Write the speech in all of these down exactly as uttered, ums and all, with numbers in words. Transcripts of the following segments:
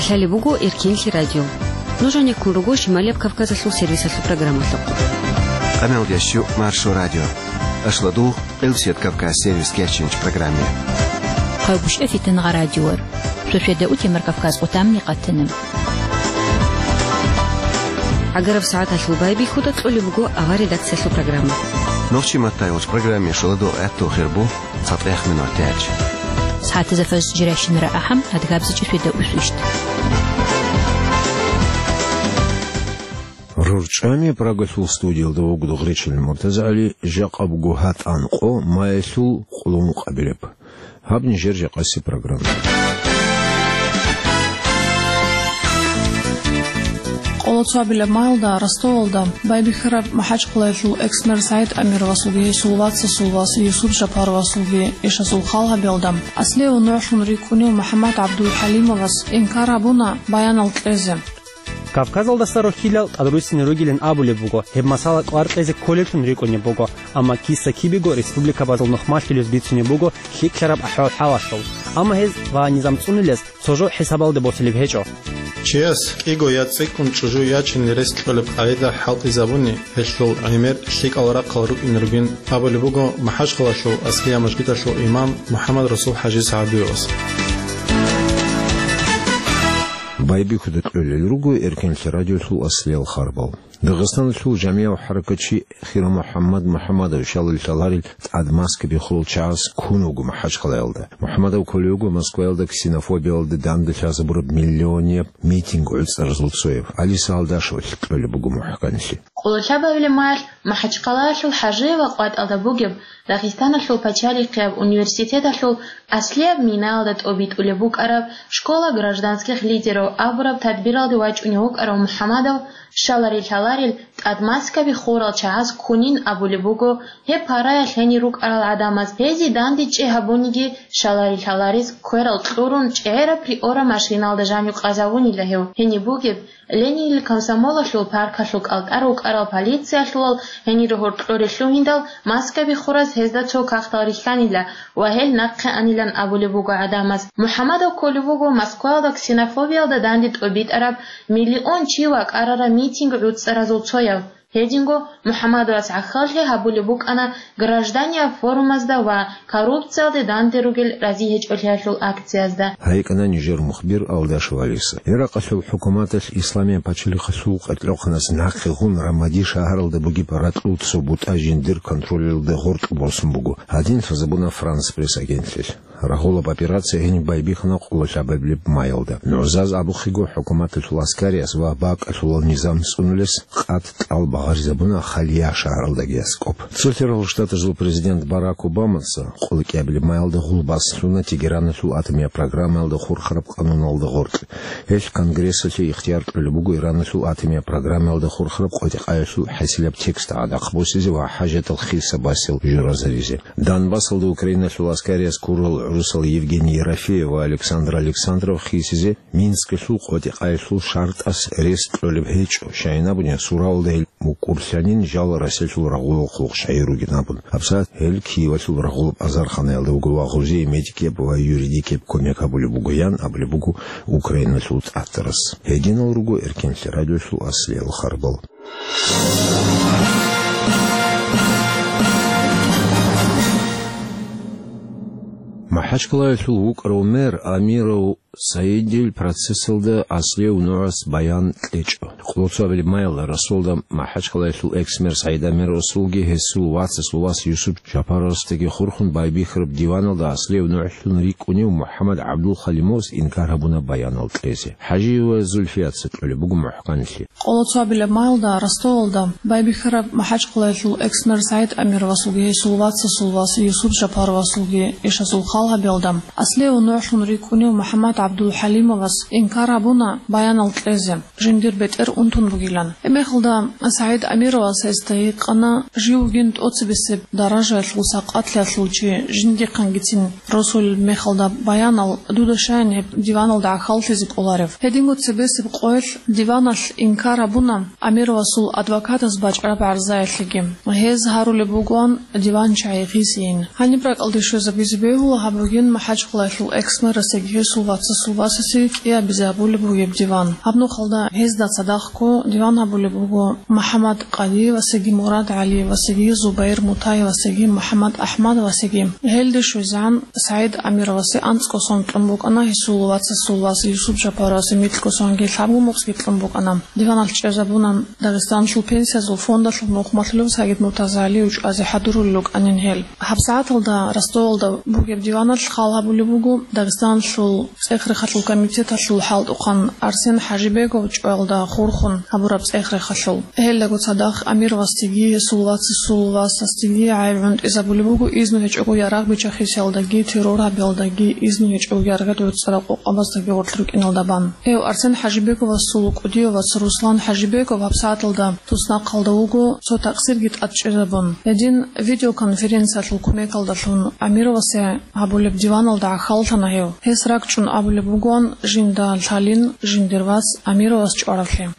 Лъалеб буго Эркенлъи радио. Нуж гьанеккун руго Шималияб Кавказалъул сервисалъул программалъухъ. Къамел ящу Маршо радио. Ашладу Къилсият Кавказ сервис кечинч программе. Хъайгъушев Фитангъа радиор. Швешведа утемар Кавказ къутамни къатана. Агараб сагӀаталъул байбихьуда кьолеб буго авар редакциялъул программа. Нохчи маттай уч программе шоладо гӀатту хирбу. ЦатӀех минутач. СагӀатазда фаз жирайщинара ахӀам, адгабзичӀи феда усвищт. РорчӀами Прагалъул студиялда вуго Гъречил МуртазагӀали, жакъа буго гьатӀан къо маялъул къулун къабилеб. Гьаб нижер жакъаси программа. Къоло цоабилаб маялда Ростовалда байбихьараб МахӀачхъалаялъул экс-мэр СагӀид Амировасулги гьесул вацасул вас Юсуп Жапаровасулги эшазул хал гьабиялда, аслияб нугӀлъун рикӀкӀунев МухӀаммад ГӀабдулхӀалимовас инкар гьабуна баянал кьезе. Кавказалдаса рохьилал тӀадруссине ругилан абулеб буго, гьеб масала кӀвар кьезе кколеблъун рикӀкӀунеб буго, амма киса-кибего республикабазул нухмалъулез бицунеб буго лъикӀлъараб ахӀвал-хӀалалъул, амма гьез ва низам цӀунулез цо жо хӀисабалде босулеб гьечӀо. Чияс кӀиго я цӀикӀкӀун чӀужу ячине рес кьолеб къагӀида хӀалтӀизабуни, гьелъул гӀемер лъикӀал рахъал рукӀине ругин абулеб буго МахӀачхъалаялъул аслияб мажгиталъул имам МухӀаммад-Расул-хӀажи СагӀдуевас. Байбихьуда кьолел руго Эркенлъи радиолъул аслиял харбал. Дагъистаналъул жамияв хӀаракатчи Хира МухӀаммад МухӀаммадов щалал лъаларел тӀад маскаби хурал чагӀаз ккун вуго МахӀачхъалаялда. МухӀаммадов кколев вуго Москваялда ксенофобиялда данде лъазабураб миллионияб митинг гӀуцӀаразул цояв. ГӀалиса Алдашевалъ кьолеб буго мухӀканлъи. Къоло лъабабилеб маялъ МахӀачхъалаялъул ХӀажиева къватӀалда бугеб Дагъистаналъул пачалихъияб университеталъул аслияб минаялда тӀобитӀулеб букӀараб «Школа гражданских лидеров» абураб тадбиралде вачӀунев вукӀарав МухӀаммадов щаларел лъаларел тӀад маскаби хурал чагӀаз ккунин абулеб буго гьеб параялъ гьенир рукӀарал гӀадамаз, гьезие дандечӀей гьабуниги, щаларел лъаларез кверал кьурун, чӀегӀераб приора машиналда жанив къазавунила гьев. Гьениб бугеб, Ленинил комсомолалъул паркалъул кӀалтӀар вукӀарал полициялъулал гьенир гьоркьоре лъугьиндал маскаби хураз гьезда цо кагътал рихьанила ва гьел нахъе анилан абулеб буго гӀадамаз. МухӀаммадов кколев вуго Москваялда ксенофобиялда данде тӀобитӀараб миллион чи вакӀарараб митинг гӀуцӀаразул цояв. Гьединго МухӀаммадовас гӀахьаллъи гьабулеб букӀана гражданияб форумазда ва коррупциялде данде ругел разигьечӀолъиялъул акциязда. ГьайикӀана нижер мухбир Алдашев ГӀалиса. Иракъалъул хӀукуматалъ Исламияб пачалихъалъул къеркьохъаназ нахъе гъун Рамади шагьаралда бугеб ракьул цо бутӀа жиндир контролалда гъоркь босун буго. Гьадин лъазабуна Франс Пресс агентлъилъ. Рагъулаб операция гьениб байбихьана къоло лъабабилеб маялда. НугӀзаз абухъего, хӀукуматалъул аскариас ва бакӀалъулал низам цӀунулес къад кьал багъаризабуна Халия шагьаралдаги аскӀоб. Цо лъерал штатазул президент Барак Обамаца къоло кӀиабилеб маялда гъулбас лъуна Тегераналъул атомияб программаялда хурхараб къануналда гъоркь. Гьелъ Конгрессалъе ихтияр кьолеб буго Ираналъул атомияб программаялда хурхараб къотӀи-къаялъул хӀасилаб текст гӀадахъ босизе ва хӀажатал хиса басил журазаризе. Донбассалда Украиналъул аскариас ккурал гӀурусал Евгений Ерофеев ва Александр Александров хисизе Минскалъул къотӀи-къаялъул шартӀас рес кьолеб гьечӀо, щайин абуни, сураялда гьел мукӀурлъанин жал Россиялъул рагъулал хъулухъ щайин ругин абун. ГьабсагӀат гьел Киевалъул рагъулаб азарханаялда вуго ва гъозие медикияб ва юридикияб кумек гьабулеб бугоян абулеб буго Украиналъул тӀатарас. Гьединал руго Эркенлъи радиолъул аслиял харбал. МахӀачкъалаялъул вукӀарав мэр Амиров Саидил процессалда аслияв нугӀас баян кьечӀо. Къоло цоабилеб маялда Ростовалда МахӀачкъалаялъул экс-мэр Саид Амировасулги гьесул вацасул вас Юсуп Жапаровасдаги хурхун байбихьараб диваналда аслияв нугӀлъун рикӀкӀунев МухӀаммад ГӀабдулхалимовас инкар гьабуна баянал кьезе. ХӀажиева Зульфияца кьолеб буго мухӀканлъи. Къоло цоабилеб маялда Ростовалда байбихьараб МахӀачкъалаялъул экс-мэр Саид Амировасулги гьесул вацасул вас Юсуп Жапаровасулги эшазул хал гьабиялда, аслияв нугӀлъун рикӀкӀунев МухӀаммад ГӀабдулхӀалимовас инкар гьабуна баянал кьезе, жиндир бетӀер унтун бугилан. Гьебмехалда Саид Амировас гьесда гьикъана, жив вугин тӀоцебесеб даражаялъул сакъатлъиялъул чи, жиндихъангицин росулел мехалда баянал дуда щайин гьеб диваналда гӀахьаллъизе кӀоларев? Гьединго цебесеб къоялъ диваналъ инкар гьабуна Амировасул адвокатас бачӀараб гӀарзаялъеги. Гьез гьарулеб бугоан диван чагӀи гъисейин. Гьаниб ракӀалде щвезабизе бегьула гьаб бугин МахӀачкъалаялъул экс-мэрасеги гьесул вац Расул Васасе кӀиабизе гьабулеб бугеб диван. Гьаб нухалда гьезда цадахъго диван гьабулеб буго МухӀаммад Къадиевасеги, Мурад ГӀалиевасеги, Зубайр Мутаевасеги, МухӀаммад АхӀмадовасеги. Гьелде щвезегӀан СагӀид Амировасе анцӀго сон кьун букӀана, гьесул вацасул вас Юсуп Жапаровасе микьго сонги лъабго мукъги кьун букӀана. Диваналъ чӀезабуна Дагъистаналъул пенсиязул фондалъул нухмалъулев СагӀид Муртазагьалиев чӀвазе хӀадурулел рукӀанин гьел. ГьабсагӀаталда Ростовалда бугеб диваналъ хал гьабулеб буго Дагъистаналъул цӀех-рехалъул комитеталъул хӀалтӀухъан Арсен ХӀажибеков чӀваялда хурхун гьабураб цӀех-рехалъул. Гьелдаго цадахъ Амировасдеги, гьесул вацасул васасдеги гӀайиб гӀунтӀизабулеб буго изну гьечӀого ярагъ биччахисиялдаги, террор гьабиялдаги, изну гьечӀого яргъи гӀуцӀарал къокъабаздаги гъоркь рукӀиналда бан. Гьев Арсен ХӀажибековасул кӀудияв вац Руслан ХӀажибеков гьабсагӀаталда туснахъалда вуго, цо такъсирги тӀад чӀезабун. Гьедин видеоконференциялъул кумекалдалъун Амировасе гьабулеб диваналда гӀахьаллъана гьев. Гьес ракӀчӀун абулеб бугоан жинда лъалин жиндир вац Амировас чӀваравлъи.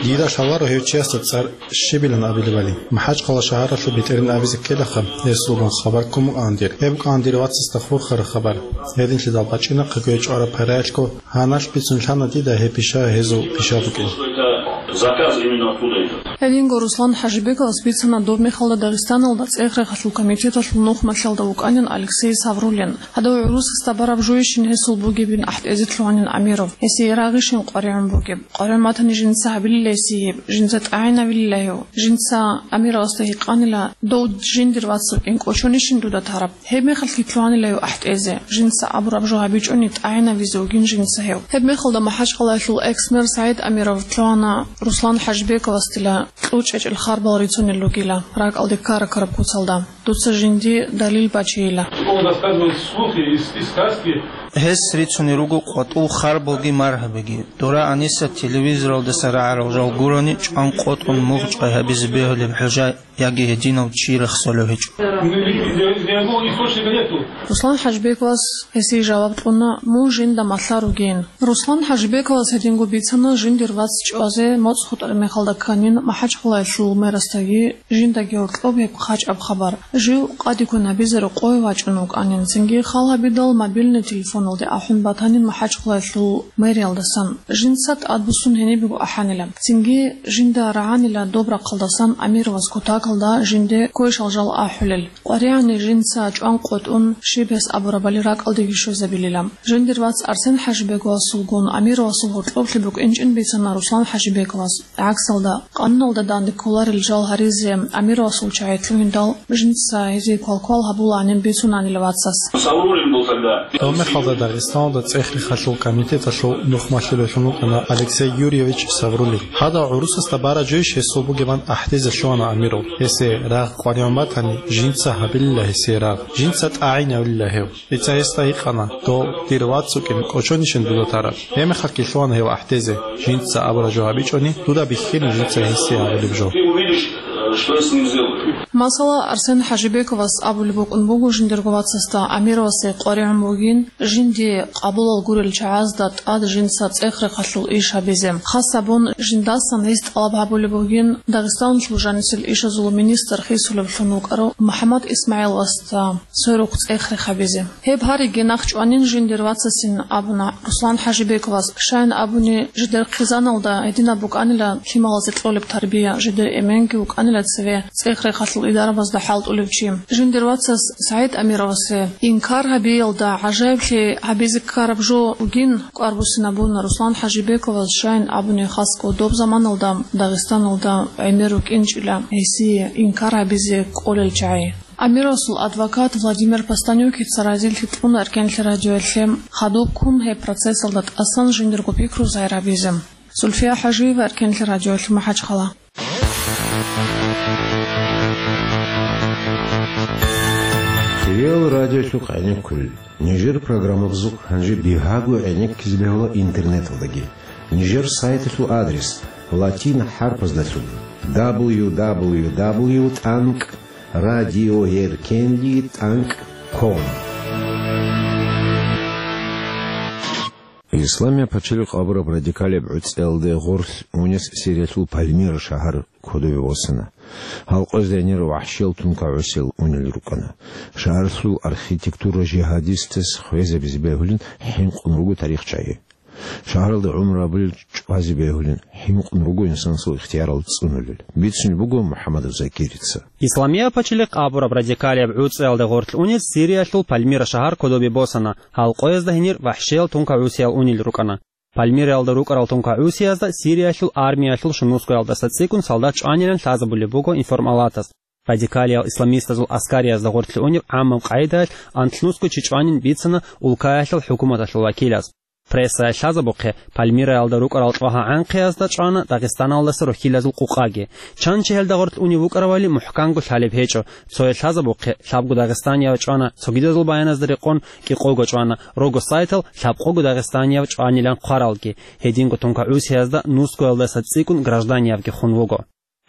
Дида лъаларо гьев чиясда цӀар щибилан абилебали. МахӀачхъала шагьаралъул бетӀерин абизе ккелаха, гьесулгун хабар ккун букӀана дир. Гьеб букӀана дир вацасда хурхараб хабар. Гьединлъидал бачӀинахъего гьев чӀвараб параялъго гьаналъ бицун лъана дида гьеб пиша гьезул пиша букӀин. Заказ именно оттуда идет. Гьединго Руслан ХӀажибековас бицана доб мехалда Дагъистаналда цӀех-рехалъул комитеталъул нухмалъалда вукӀанин Алексей Савруллин. Гьадав гӀурусасда бараб жойищин гьесул бугебин ахӀтӀезе лъугьанин Амиров. Гьесие рагъищин къваригӀун бугеб? КъваригӀун батани жинца гьабилила гьесие гьеб, жинца тӀагӀинавилила гьев. Жинца Амировасда гьикъанила, дов жиндир вацав кӀин кӀочонищин дуда тараб? Гьеб мехалъги лъугьанила гьев ахӀтӀезе, жинца абураб жо гьабичӀони тӀагӀинавизе вугин жинца гьев. Гьеб мехалда МахӀачхъалаялъул экс-мэр СагӀид Амиров лъугьана Руслан ХӀажибековасдила кьучӀечӀел харбал рицунел ругила ракӀалде ккара-ккараб куцалда. Дуца жинди далил бачейила. Он рассказывает слухи и, и сказки. Гьес рицунел руго къватӀул харбалги маргьабиги. Дора гьаниса телевизоралдаса рагӀарал жал гурони чӀван къотӀун мугъ чӀвай гьабизе бегьулеб хӀужа яги гьединав чи рехсолев гьечӀо. Никакого источника нету. Руслан ХӀажибековас гьесие жаваб кьуна, мун жинда малъа ругин. Руслан ХӀажибековас гьединго бицана жиндир вац чӀвазе моцӀ хутӀараб мехалда кканин МахӀачхъалаялъул мэрасдаги жиндаги гьоркьоб гьеб хъачӀаб хабар. Жив къадиккун гьабизе рокъове вачӀун вукӀанин, цинги хал гьабидал мобильный телефоналде ахӀун батанин МахӀачхъалаялъул мэриялдасан. Жинца тӀадбуссун гьенибего ахӀанила. Цинги жинда рагӀанила доб рахъалдасан Амировас кутакалда жинде квешал жал ахӀулел. КъваригӀани жинца чӀван къотӀун, щиб гьес абурабали ракӀалдеги щвезабилила. Жиндир вац Арсен ХӀажибековасулгун Амировасул гьоркьоблъи букӀинчӀин бицана Руслан ХӀажибековас. ГӀаксалда, къануналда данде кколарел жал гьаризе Амировасул чагӀи лъугьиндал, жинца гьезие квалквал гьабулаанин бицунанила вацас. Саврулин был тогда. Гьеб мехалда Дагъистаналда цӀех-рехалъул комитеталъул нухмалъулевлъун вукӀана Алексей Юрьевич Саврулин. Гьадав гӀурусасда бараб жойищ гьесул бугебан ахӀдезе лъугьана Амиров. Гьесие рагъ къваригӀун батани, жинца гьабилила гьесие рагъ, жинца тӀагӀинавилила гьев. Дица гьесда гьикъана, дов дир вац вукӀин кӀочонищин дуда тараб? Гьеб мехалъги лъугьана гьев ахӀдезе, жинца абураб жо гьабичӀони, дуда бихьилин жинца гьесие гьабулеб жо. Ты увидишь, э, что я с ним сделаю. Масала, Арсен ХӀажибековас абулеб букӀун буго жиндирго вацасда Амировасе къваригӀун бугин, жинди къабулал гурел чагӀазда тӀад жинца цӀех-рехалъул иш гьабизе. Хас гьабун, жиндасан гьес тӀалаб гьабулеб бугин Дагъистаналъул жанисел ишазул министр хисулевлъун вукӀарав МухӀаммад ИсмагӀиловасда сверухъ цӀех-рех гьабизе. Гьеб гьариги нахъчӀванин жиндир вацасин абуна Руслан ХӀажибековас, щайин абуни, жидер хъизаналда гьединаб букӀанила лъималазе кьолеб тарбия, жидер эменги вукӀанила цеве цӀех-рехалъул идарабазда хӀалтӀулев чи. Жиндир вацас СагӀид Амировасе инкар гьабиялда гӀажаиблъи гьабизе ккараб жо бугин кӀвар буссинабуна Руслан ХӀажибековас, щайин абуни, хасго доб заманалда Дагъистаналда гӀемер рукӀинчӀила гьесие инкар гьабизе кӀолел чагӀи. Амировасул адвокат Владимир Постанюкица разилъи кьуна Эркенлъи радиоялъе, хадубккун гьеб процессалда тӀасан жиндирго пикру загьир гьабизе. Зульфия ХӀажиева, Эркенлъи радиоялъ, МахӀачхъала. Реал радиолъухъ гӀенеккулел. Нижер программабазухъ гьанже бигьаго гӀенеккизе бегьула интернеталдаги. Нижер сайталъул адрес латин хӀарпаздалъун: дабл ю дабл ю дабл ю тӀанкӀ радиоэркенлъи тӀанкӀ ком. Исламия пачалихъ абураб радикалияб гӀуцӀиялде гъорлъ мунес Сириялъул Пальмира шагьар кодове восана. Гьалкъоязда гьенир вахӀшиял тункагӀусиял унел рукӀана. Шагьарлъул архитектура жигьадистас хвезабизе бегьулин хӀинкъун руго тарихчагӀи. Шагьаралда гӀумру гьабулел чӀвазе бегьулин хӀинкъун руго инсанасул ихтиярал цӀунулел, бицунеб буго МухӀаммадов Закирица. Исламияб пачалихъ абураб радикалияб гӀуцӀиялда гъорлъ унел Сириялъул Пальмира шагьар кодобе босана, гьалкъоязда гьенир вахӀшиял тункагӀусиял унел рукӀана. Пальмираялда рукӀарал тункагӀусиязда Сириялъул армиялъул шунусгоялдаса цӀикӀкӀун солдат чӀванилан лъазабулеб буго информалатас. Радикалиял исламистазул аскариязда гъорлъе унеб гӀаммаб къагӀидаялъ анлънусго чи чӀванин бицана улкаялъул хӀукуматалъул вакилаз. Прессаялъ лъазабухъе, Пальмираялда рукӀарал чӀвагьа-гӀанхъиязда чӀвана Дагъистаналдаса рохьилазул къукъаги. Чан чи гьелда гъорлъ унев вукӀаравали мухӀканго лъалеб гьечӀо. Цояз лъазабухъе, лъабго дагъистанияв чӀвана цогидазул баяназда рекъон кӀикъого чӀвана, рого сайтал лъабкъого дагъистанияв чӀванилан хъваралги. Гьединго тункагӀусиязда нусгоялдаса цӀикӀкӀун гражданиявги хун вуго.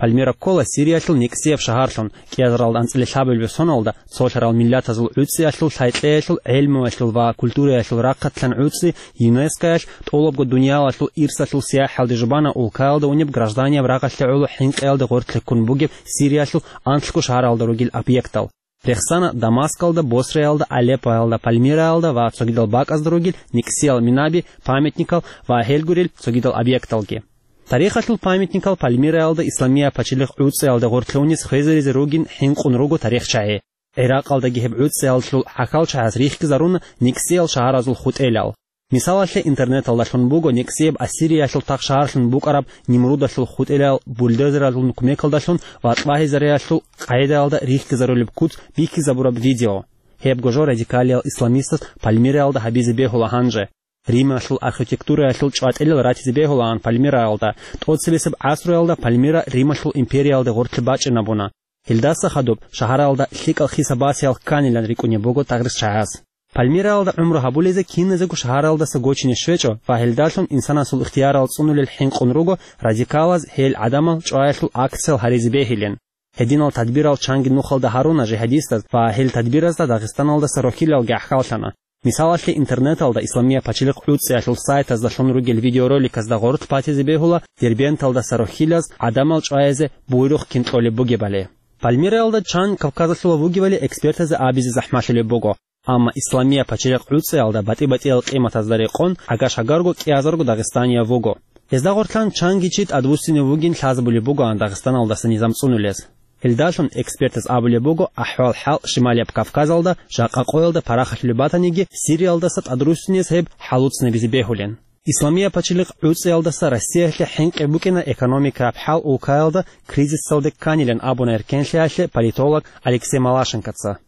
Пальмира ккола Сириялъул никсияб шагьарлъун, кӀиазаралда анцӀила лъабабилеб соналда цолъарал миллатазул гӀуцӀиялъул, лъай-кьеялъул, гӀелмуялъул ва культураялъул рахъатлъан гӀуцӀи ЮНЕСКОялъ тӀолабго дуниялалъул ирсалъул сияхӀалде жубана улкаялда унеб гражданияб рагъалъе гӀоло хӀинкъиялда гъорлъе ккун бугеб Сириялъул анлъго шагьаралда ругел объектал. Рехсана Дамаскалда, Босраялда, Алеппоялда, Пальмираялда ва цогидал бакӀазда ругел никсиял минаби, памятникал ва гьел гурел цогидал объекталги. Тарихалъул памятникал Пальмираялда Исламияб пачалихъ гӀуцӀиялда гъорлъе унес хвезаризе ругин хӀинкъун руго тарихчагӀи. ГӀиракъалдаги гьеб гӀуцӀиялъул хӀакалчагӀаз рихьизаруна никсиял шагьаразул хутӀелал. Мисалалъе, интернеталдалъун буго никсияб Ассириялъул тахшагьарлъун букӀараб Нимрудалъул хутӀелал бульдозералъул кумекалдалъун ва тӀвагьизариялъул къагӀидаялда рихьизарулеб куц бихьизабураб видео. Гьебго жо радикалиял исламистас Пальмираялда гьабизе бегьула гьанже. Рималъул архитектураялъул чӀватӀилал ратизе бегьулаан Пальмираялда. ТӀоцебесеб гӀасруялда Пальмира Рималъул империялда гъорлъе бачӀинабуна. Гьелдаса хадуб шагьаралда лъикӀал хиса-басиял кканилан рикӀкӀунеб буго тарихчагӀаз. Пальмираялда гӀумру гьабулезе киназего шагьаралдаса гочине щвечӀо ва гьелдалъун инсанасул ихтиярал цӀунулел хӀинкъун руго радикалаз гьел гӀадамал чӀваялъул акциял гьаризе бегьилин. Гьединал тадбирал чанги нухалда гьаруна жигьадистаз ва гьел тадбиразда Дагъистаналдаса рохьилалги гӀахьаллъана. Мисалалъе, интернеталда Исламияб пачалихъ гӀуцӀиялъул сайтаздалъун ругел видеороликазда гъоркь батизе бегьула Дербенталдаса рохьилаз гӀадамал чӀвазе буйрухъ кин кьолеб бугебали. Пальмираялда чан Кавказалъула вугевали экспертазе абизе захӀмалъулеб буго. Амма Исламияб пачалихъ гӀуцӀиялда батӀи-батӀиял къиматазда рекъон гӀагаш-гӀагарго кӀиазарго дагъистанияв вуго. Гьезда гъорлъан чанги чи тӀадвуссинев вугин лъазабулеб бугоан Дагъистаналдаса низам цӀунулез. Гьелдалъун экспертаз абулеб буго, ахӀвал-хӀал Шималияб Кавказалда жакъа къоялда парахалъулеб батаниги, Сириялдаса тӀадруссинез гьеб хӀалуцинабизе бегьулин. Исламияб пачалихъ гӀуцӀиялдаса Россиялъе хӀинкъи букӀина экономикаяб хӀал улкаялда кризисалде кканилан абуна эркенлъиялъе политолог Алексей Малашенкоца.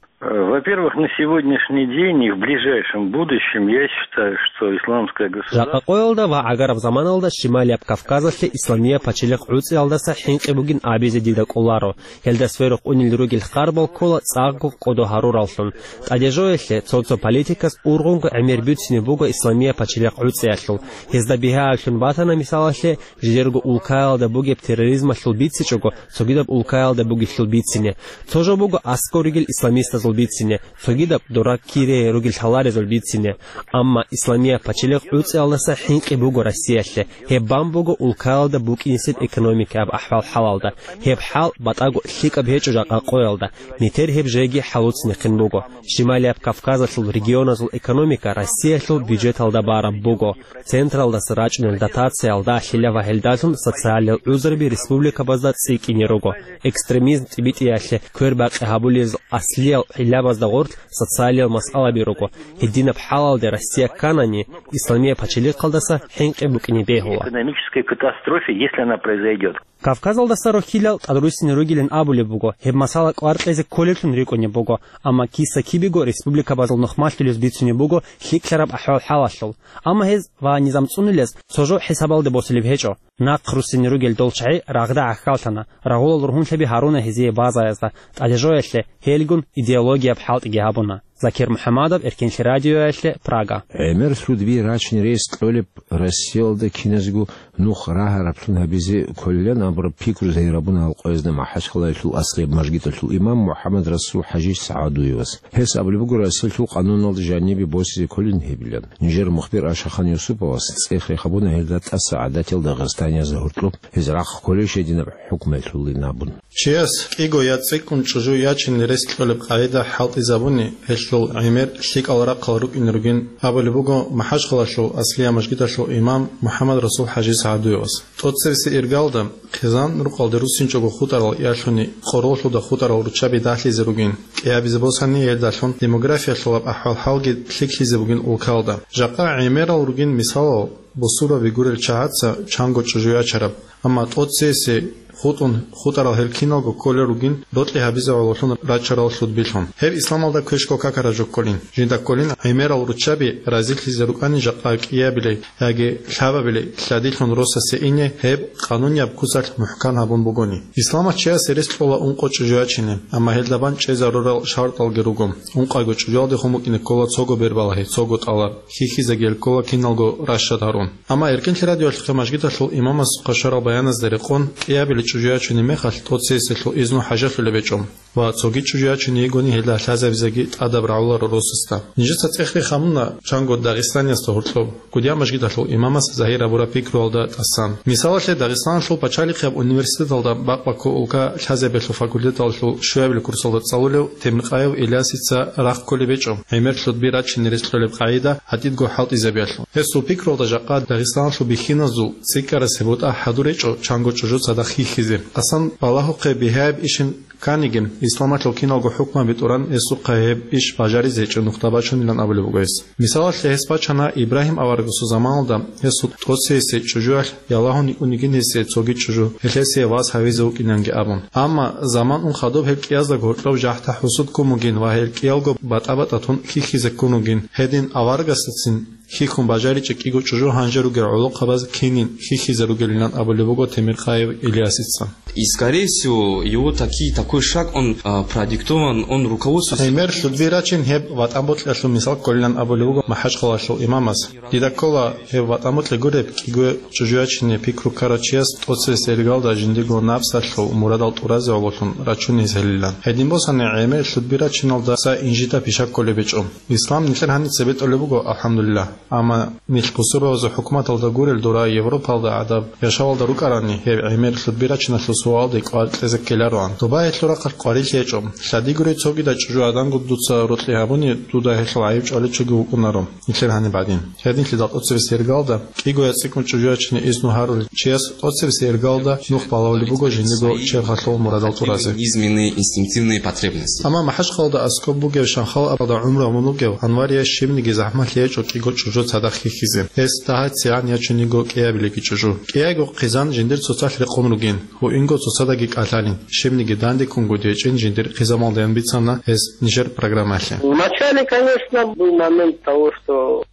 Во-первых, на сегодняшний день и в ближайшем будущем я считаю, что исламское государство... Жакъа къоялда ва гӀагараб заманалда Шималияб Кавказалъе Исламияб пачалихъ гӀуцӀиялдаса хӀинкъи бугин абизе дида кӀоларо. Гьелда сверухъ унел ругел харбал ккола цӀакъго кӀодо гьарураллъун. ТӀадежоялъе цо-цо политикас ургъунго гӀемер бицине буго Исламияб пачалихъ гӀуцӀиялъул. Гьезда бигьаялъун батана, мисалалъе, жидерго улкаялда бугеб терроризмалъул бицичӀого, цогидаб улкаялда бугелъул бицине. Цо жо буго аскӀов ругел исламистазул бицине, цогидаб дора кире ругел лъаларезул бицине. Амма Исламияб пачалихъ гӀуцӀиялдаса хӀинкъи буго Россиялъе. Гьеб бан буго улкаялда букӀинесеб экономикаяб ахӀвал-хӀалалда. Гьеб хӀал батӀаго лъикӀаб гьечӀо жакъа къоялда. Метер гьеб жеги хӀалуцинехъин буго. Шималияб Кавказалъул регионазул экономика Россиялъул бюджеталда бараб буго. Централдаса рачӀунел дотациялда ахӀила ва гьелдалъун социалиял гӀузруби республикабазда цӀикӀкӀине руго. Экстремизм тӀибитӀиялъе квербакъи гьабулезул аслиял гӀиллабазда гъорлъ социалиял масъалаби руго. Гьединаб хӀалалде Россия кканани, Исламияб пачалихъалдаса хӀинкъи букӀине бегьула. Экономической катастрофе, если она произойдёт. Кавказалдаса рохьилал тӀадруссине ругилан абулеб буго, гьеб масала кӀвар кьезе кколеблъун рикӀкӀунеб буго, амма киса-кибего республикабазул нухмалъулез бицунеб буго лъикӀлъараб ахӀвал-хӀалалъул. Амма гьез ва низам цӀунулез цо жо хӀисабалде босулеб гьечӀо. Нахъруссине ругел дол чагӀи рагъда гӀахьаллъана, рагъулал ругьунлъаби гьаруна гьезие базаязда, тӀадежоялъе гьелгун идеологияб хӀалтӀиги гьабуна. Закир МухӀаммадов, Эркенлъи радиоялъе, Прага. ГӀемер лъудби рачин рес кьолеб Россиялда киназго нух рагьараблъун гьабизе кколилан абураб пикру загьирабуна гьал къоязда МахӀачхъалаялъул аскӀоб мажгиталъул имам МухӀаммад-Расул ХӀажи СагӀдуевас. Гьес абулеб буго Россиялъул къануналда жанибе босизе кколин гьебилан. Нижер мухбир Ашахан Юсуповас цӀех рехабуна гьелда тӀаса гӀадатиял дагъистанияз гьоркьоб гьез рахъ кколеб щай динаб хӀукмуялъулин абун. Чияс кӀиго я цӀикӀкӀун чӀужу ячине рес кьолеб къагӀида хӀалтӀизабуни, гьелъул гӀемер лъикӀал рахъал рукӀине ругин абулеб буго МахӀачхъалаялъул аскӀоб мажгиталъул имам МухӀаммад-Расул ХӀажи СагӀдуевас. ТӀоцебесеб иргалда, хъизан рукъалде руссинчӀого хутӀарал ялъуни къороллъуда хутӀарал руччаби дагьлъизе ругин, кӀиабизе босани гьелдалъун демографиялъулаб ахӀвал-хӀалги лъикӀлъизе бугин улкалда. Жакъа гӀемерал ругин мисалал, бусурбаби гурел чагӀаца чанго чӀужу ячараб, амма тӀоцебесеб хутӀун хутӀарал гьел киналго кколел ругин рокьи гьабизе гӀололъун рачарал лъудбилъун. Гьеб исламалда квешго какараб жо кколин. Жинда кколин гӀемерал руччаби разилъизе рукӀани жакъа кӀиабилей яги лъабабилей лъадилъун росасе ине гьеб къанунияб куцалъ мухӀкан гьабун бугони. Исламалъ чиясе рес кьола ункъо чӀужу ячине, амма гьелда бан чӀезарурал шартӀалги руго. Ункъайго чӀужуялдехун букӀине ккола цого бербалагьи, цого тӀалаб, хьихьизеги гьел ккола киналго ращад гьарун. Амма Эркенлъи радиоялъухъе мажгиталъул имамас квешарал баяназда рекъон, кӀиабилей чӀужу ячунеб мехалъ тӀоцебесеб изну хӀажалъулеб гьечӀо ва цоги чӀужу ячуней йигони гьелда лъазабизеги тӀадаб рагӀуларо росасда. Нижеца цӀех рехабуна чанго дагъистаниясда гьоркьоб, Кудияб мажгиталъул имамас загьир гьабураб пикруялда тӀасан. Мисалалъе, Дагъистаналъул пачалихъияб университеталда бакъбаккул улка лъазабиялъул факультеталъул щуябилеб курсалда цӀалулев Темиркъаев Ильясица рахъ кколеб гьечӀо гӀемер лъудби рачин рес кьолеб къагӀида гьатӀидго хӀалтӀизабиялъул. Гьесул пикруялда жакъа Дагъистаналъул бихьиназул цӀикӀкӀарасеб бутӀа хӀадур гьечӀо чанго чӀужу цадахъ хьихьизе. Асан балагьухъе бигьаяб ишин кканигин, исламалъул киналго хӀукмаби тӀуран, гьесухъа гьеб иш бажаризе гьечӀо нухда бачунилан абулеб буго гьес. Мисалалъе, гьес бачана Ибрагьим аварагасул заманалда гьесул тӀоцебесеб чӀужуялъ ялагьун йикӀун йигин гьесие цоги чӀужу, гьелъ гьесие вас гьавизе вукӀинанги абун. Амма заман ун хадуб гьел кӀиязда гьоркьоб жахӀда-хӀусуд ккун бугин ва гьел кӀиялго батӀа-батӀа тун хьихьизе ккун бугин. Гьедин аварагасдацин хьихьун бажаричӀеб кӀиго чӀужу гьанже ругел гӀолохъабаз кинин хьихьизе ругелилан абулеб буго Темиркъаев Ильясица. И, скорее всего, его таки, такой шаг, он, а, продиктован, он руководствуется. ГӀемер лъудби рачин гьеб ватӀан бокьалъул мисал кколилан абулеб буго МахӀачхъалаялъул имамас. Дида ккола гьеб ватӀан бокьи гуреб, кӀиго чӀужу ячине пикру ккарав чияс тӀоцебесеб иргалда жиндирго напсалъул мурадал тӀуразе гӀололъун рачунизелилан. Гьедин босани, гӀемер лъудби рачиналдаса инжита пиша кколеб гьечӀо. Ислам нилъер гьаниб цебетӀолеб буго, алхӀамдулиллагь. Амма нилъ бусурбабазул хӀукуматалда гурел дора Европалда гӀадаб яшавалда рукӀарани, гьеб гӀемер лъудби рачиналъул суалде кӀвар кьезе ккелароан. Доба гьелъул рахъалъ къварилъи гьечӀо. Лъади гурей цогидал чӀужу гӀадамго дуца рокьи гьабуни, дуда гьелъул гӀайиб чӀваличӀого вукӀунаро нилъер гьаниб гӀадин. Гьединлъидал тӀоцебесеб иргалда кӀиго я цӀикӀкӀун чӀужу ячине изну гьарулел чияс тӀоцебесеб иргалда нух балагьулеб буго жиндирго черхалъул мурадал тӀуразе. Низменные инстинктивные потребности. Амма МахӀачхъалада аскӀоб бугев, Шанхалда гӀумру гьабун вугев Анварие щибниги захӀмалъи гьечӀо кӀиго чӀужу цадахъ хьихьизе. Гьес дагьа-цигӀан ячун йиго кӀиабилеги чӀужу. КӀиайго хъизан жиндир цоцалъ рекъон ругин, гьуинго цоцаздаги кӀалъалин, щибниги дандеккунго дечӀин жиндир хъизамалдаян бицана гьес нижер программаялъе. Вначале, конечно, был момент того, что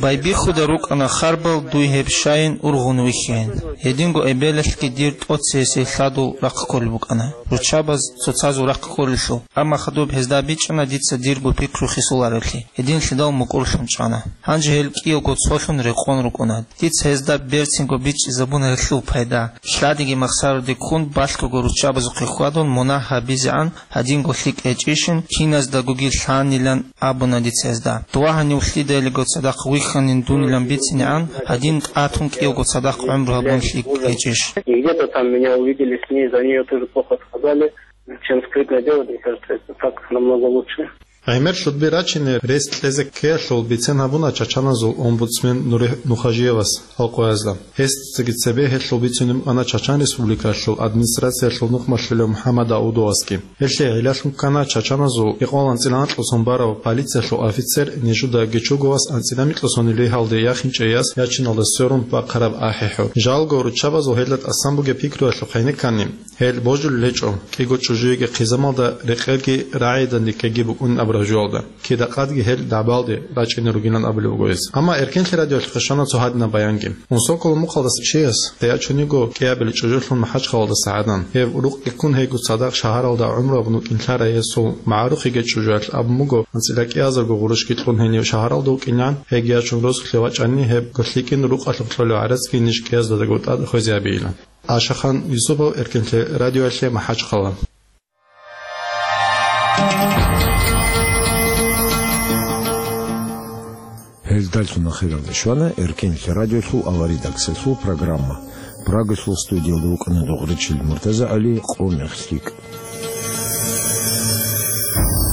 Байбихьуда рукӀана харбал дуй гьеб щайин ургъун вихьейин. Гьединго эбелалъги дир тӀоцебесеб лъадул рахъ кколеб букӀана, руччабаз цоцазул рахъ кколелъул. Амма хадуб гьезда бичӀчӀана дица дирго пикру хисулареблъи, гьединлъидал мукӀурлъун чӀана. Гьанже гьел кӀиялго цолъун рекъон рукӀуна. Дица гьезда берцинго бичӀчӀизабуна гьелъул пайда. Лъадиги махсараде ккун балъго руччабазухъе хьвадун мунагь гьабизегӀан гьадинго лъикӀ гьечӀищин, киназдагоги лъанилан абуна дица гьезда. Дова гьанив лъидаялиго цадахъ вихьанин дунилан бицинегӀан, гьадин тӀатун кӀиялго цадахъ гӀумру гьабун лъикӀ гьечӀищ. И где-то там меня увидели, с ней, за неё тоже плохо сказали. Чем скрытно делать, мне кажется, это так намного лучше. ГӀемер лъудби рачине рес кьезе ккеялъул бицен гьабуна чачаназул омбудсмен Нури Нухажиевас гьал къоязда. Гьесдацаги цебе гьелъул бицунеб букӀана Чачан Республикалъул администрациялъул нухмалъулев МухӀаммад Даудовасги. Гьелъие гӀиллалъун ккана чачаназул гӀикъвалан цӀинанкьа сон барав полициялъул офицер Нежуда Гечуговас анцӀила микьа сонил ригьалде яхинчӀей яс ячиналда сверун бахъараб ахӀи-хӀур. Жалго, руччабазул гьелда тӀасан бугеб пикруялъухъ гьенеккани, гьел божулел гьечӀо, кӀиго чӀужуеги хъизамалда рекъелги рагӀидан риккеги букӀунин абураб гьужуялда. Кида-къадги гьел дагӀбалде рачӀине ругилан абулеб буго гьес. Амма Эркенлъи радиоялъухъе щвана цо гьадинаб баянги. Унсокъо мукъалдаса чияс, тӀаячӀунего кӀиабилеб чӀужулъун МахӀачхъалалдаса гӀадан. Гьеб рукъги ккун гьейго цадахъ шагьаралда гӀумруялъ вукӀинлъарай гьесул магӀарухъеги чӀужуялъ абун буго, анцӀила кӀиазарго гъурущги кьун гьенив шагьаралда вукӀинан, гьеги ячун росулъе вачӀани, гьеб лъикӀин рукъалъухъ кьолеб гӀарацги ниж кӀияздаго тӀад хвезе гьабейилан. Ашахан Юсупов, Эркенлъи радиоялъе, МахӀачхъала. Гьелдалъун ахиралде щвана Эркенлъи радиолъул аваридаксалъул программа. Прагалъул студиялда вукӀана Дугъричил МуртазагӀали, Къо мех лъикӀ.